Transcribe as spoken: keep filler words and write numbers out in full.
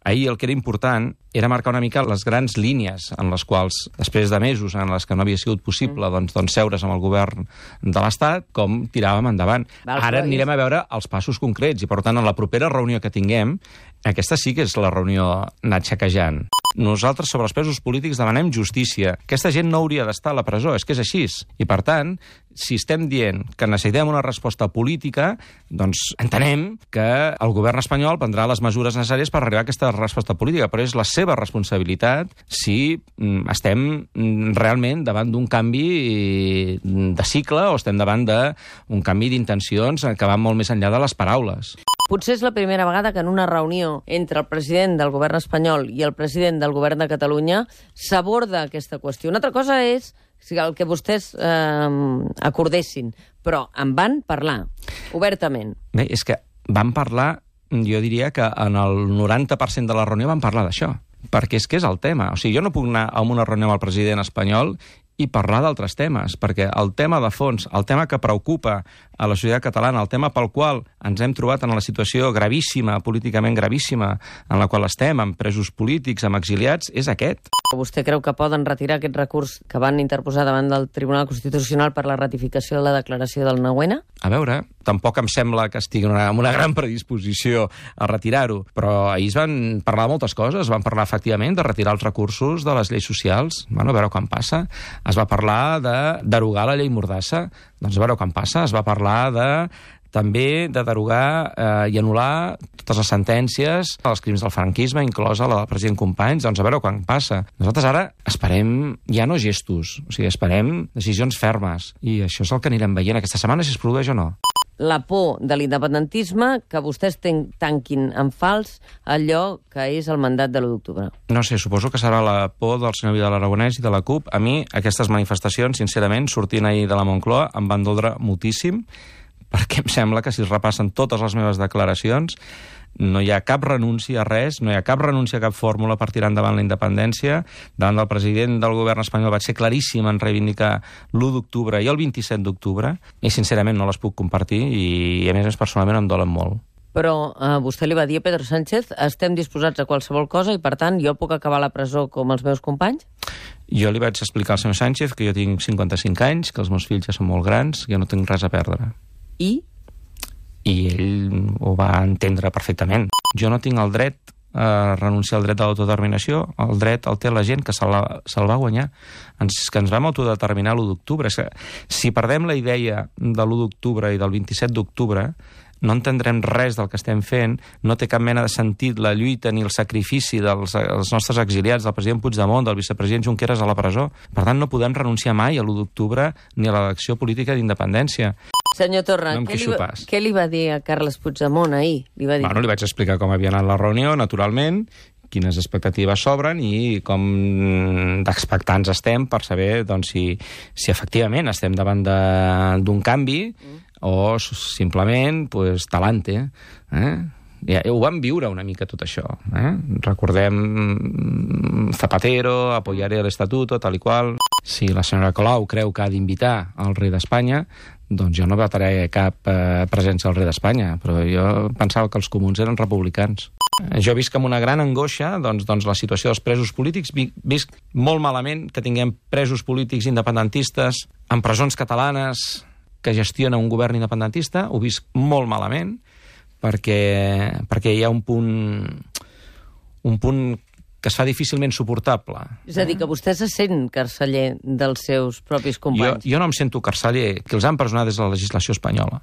Ahir el que era important era marcar una mica les grans línies en les quals, després de mesos en les que no havia sigut possible doncs, doncs seure's amb el govern de l'Estat, com tiràvem endavant. Ara anirem a veure els passos concrets i, per tant, en la propera reunió que tinguem, aquesta sí que és la reunió anar xequejant. Nosaltres, sobre els presos polítics, demanem justícia. Aquesta gent no hauria d'estar a la presó, és que és així. I, per tant, si estem dient que necessitem una resposta política, doncs entenem que el govern espanyol prendrà les mesures necessàries per arribar a aquesta resposta política, però és la seva responsabilitat si estem realment davant d'un canvi de cicle o estem davant d'un canvi d'intencions que van molt més enllà de les paraules. Potser és la primera vegada que en una reunió entre el president del govern espanyol i el president del govern de Catalunya s'aborda aquesta qüestió. Una altra cosa és el que vostès eh, acordessin, però en van parlar obertament. Bé, és que van parlar, jo diria que en el noranta per cent de la reunió van parlar d'això, perquè és que és el tema. O sigui, jo no puc anar a una reunió amb el president espanyol i parlar d'altres temes, perquè el tema de fons, el tema que preocupa a la societat catalana, el tema pel qual ens hem trobat en la situació gravíssima, políticament gravíssima, en la qual estem, amb presos polítics, amb exiliats, és aquest. Vostè creu que poden retirar aquest recurs que van interposar davant del Tribunal Constitucional per la ratificació de la declaració del nou ene? A veure, tampoc em sembla que estigui amb una gran predisposició a retirar-ho, però ahir es van parlar de moltes coses, van parlar efectivament de retirar els recursos de les lleis socials, bueno, a veure quan passa. Es va parlar de derogar la llei Mordassa, doncs a veure quan passa. Es va parlar de també de derogar eh, i anul·lar totes les sentències dels crims del franquisme, inclosa la del president Companys, doncs a veure quan passa. Nosaltres ara esperem ja no gestos, o sigui, esperem decisions fermes, i això és el que anirem veient aquesta setmana, si es produeix o no. La por de l'independentisme, que vostès tanquin en fals allò que és el mandat de l'u d'octubre. No sé, suposo que serà la por del senyor Vidal Aragonès i de la CUP. A mi, aquestes manifestacions, sincerament, sortint ahir de la Moncloa, em van doldre moltíssim, perquè em sembla que si es repassen totes les meves declaracions, no hi ha cap renúncia a res, no hi ha cap renúncia a cap fórmula per tirar endavant la independència. Davant del president del govern espanyol vaig ser claríssim en reivindicar l'u d'octubre i el vint-i-set d'octubre, i sincerament no les puc compartir, i a més, més personalment em dolen molt. Però eh, vostè li va dir a Pedro Sánchez: estem disposats a qualsevol cosa i, per tant, jo puc acabar a la presó com els meus companys? Jo li vaig explicar al senyor Sánchez que jo tinc cinquanta-cinc anys, que els meus fills ja són molt grans, que jo no tinc res a perdre. I? I ell ho va entendre perfectament. Jo no tinc el dret a renunciar al dret de l'autodeterminació, el dret el té la gent que se'l va, se va guanyar, ens, que ens vam autodeterminar l'u d'octubre. Si perdem la idea de l'u d'octubre i del vint-i-set d'octubre, no entendrem res del que estem fent, no té cap mena de sentit la lluita ni el sacrifici dels, dels nostres exiliats, del president Puigdemont, del vicepresident Junqueras a la presó. Per tant, no podem renunciar mai a l'u d'octubre ni a l'elecció política d'independència. Senyor Torra, no què, li va, què li va dir a Carles Puigdemont ahir? Li va dir... Bueno, li vaig explicar com havia anat la reunió, naturalment, quines expectatives s'obren i com d'expectants estem per saber doncs, si, si efectivament estem davant d'un canvi mm. o simplement pues, talante. Eh? Ja, ho vam viure una mica tot això. Eh? Recordem Zapatero, apoyaré l'estatuto, tal i qual. Si la senyora Colau creu que ha d'invitar el rei d'Espanya, doncs jo no vetaré cap eh, presència al rei d'Espanya, però jo pensava que els comuns eren republicans. Jo visc amb una gran angoixa doncs, doncs la situació dels presos polítics. Visc molt malament que tinguem presos polítics independentistes en presons catalanes que gestiona un govern independentista. Ho visc molt malament perquè, perquè hi ha un punt, un punt que es fa difícilment suportable. És a dir, que vostè se sent carceller dels seus propis companys. Jo, jo no em sento carceller, que els han empresonat des de la legislació espanyola.